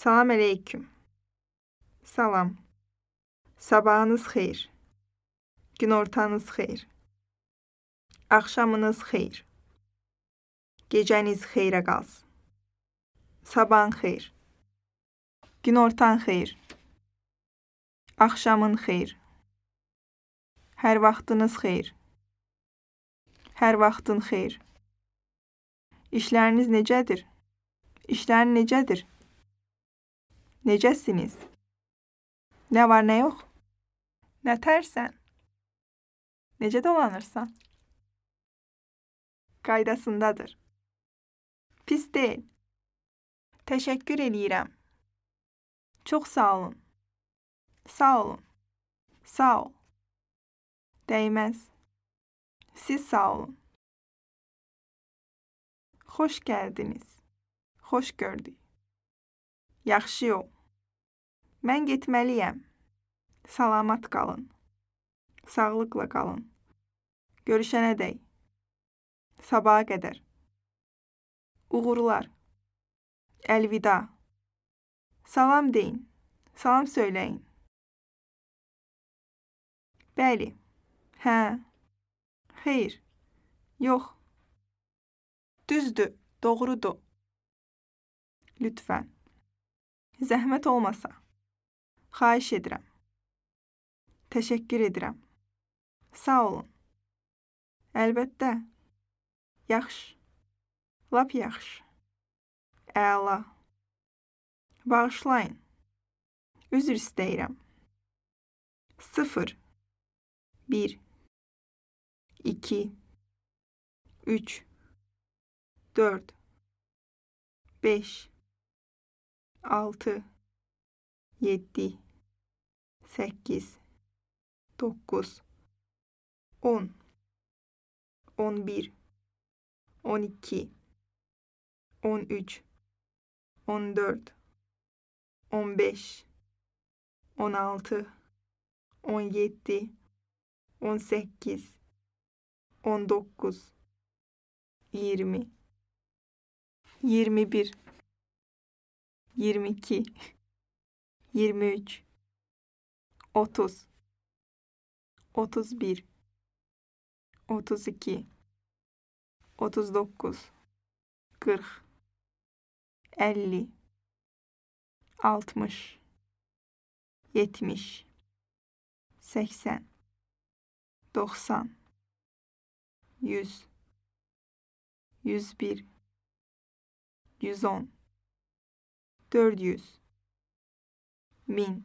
Salam aleyküm. Salam. Sabahınız xeyir. Günortanız xeyir. Axşamınız xeyir. Gecəniz xeyrə qalsın. Sabahın xeyir. Günortan xeyir. Axşamın xeyir. Hər vaxtınız xeyir. Hər vaxtın xeyir. İşləriniz necədir? İşlərin necədir? Necəsiniz? Nə var, nə yox? Nə tərsən? Necə dolanırsan? Qaydasındadır. Pis deyil. Təşəkkür eləyirəm. Çox sağ olun. Sağ olun. Sağ ol. Dəyməz. Siz sağ olun. Xoş gəldiniz. Xoş gördük. Yaxşı yol. Mən getməliyəm. Salamat qalın. Sağlıqla qalın. Görüşənədək. Sabaha qədər. Uğurlar. Əlvida. Salam deyin. Salam söyləyin. Bəli. Hə. Xeyr. Yox. Düzdür. Doğrudur. Lütfən. Zəhmət olmasa. Xahiş edirəm. Təşəkkür edirəm. Sağ olun. Əlbəttə. Yaxşı. Lap yaxşı. Əla. Bağışlayın. Üzr istəyirəm. 0 1 2 3 4 5 6 7 8 9 10 11 12 13 14 15 16 17 18 19 20 21 22 23 30 31 32 39 40 50 60 70 80 90 100 101 110 400 1000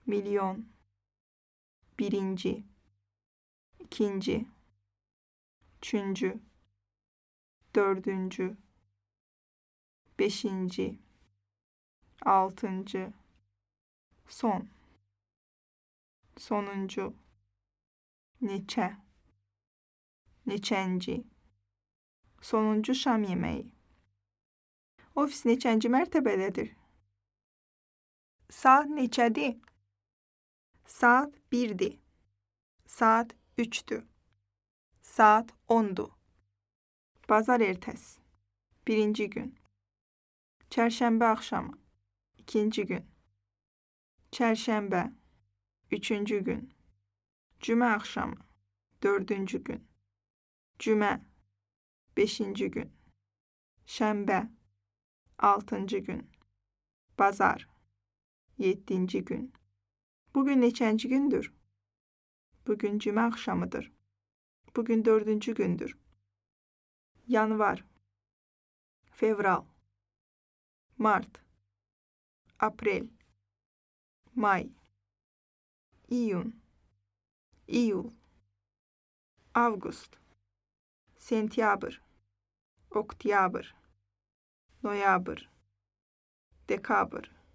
milyon birinci ikinci üçüncü dördüncü beşinci altıncı son sonuncu neçə neçənci sonuncu şam yeməyi. Ofis neçənci mərtəbədədir? Saat neçədir? Saat 1-dir. Saat 3-dür. Saat 10-dur. Bazar ertəsi. Birinci gün. Çərşənbə axşamı. İkinci gün. Çərşənbə. Üçüncü gün. Cümə axşamı. Dördüncü gün. Cümə. Beşinci gün. Şənbə. Altıncı gün. Bazar. Yeddinci gün. Bugün neçənci gündür? Bugün cümə axşamıdır. Bugün dördüncü gündür. Yanvar. Fevral. Mart. Aprel. May. İyun. İyul. Avqust. Sentyabr. Oktyabr. Noyabr. Dekabr.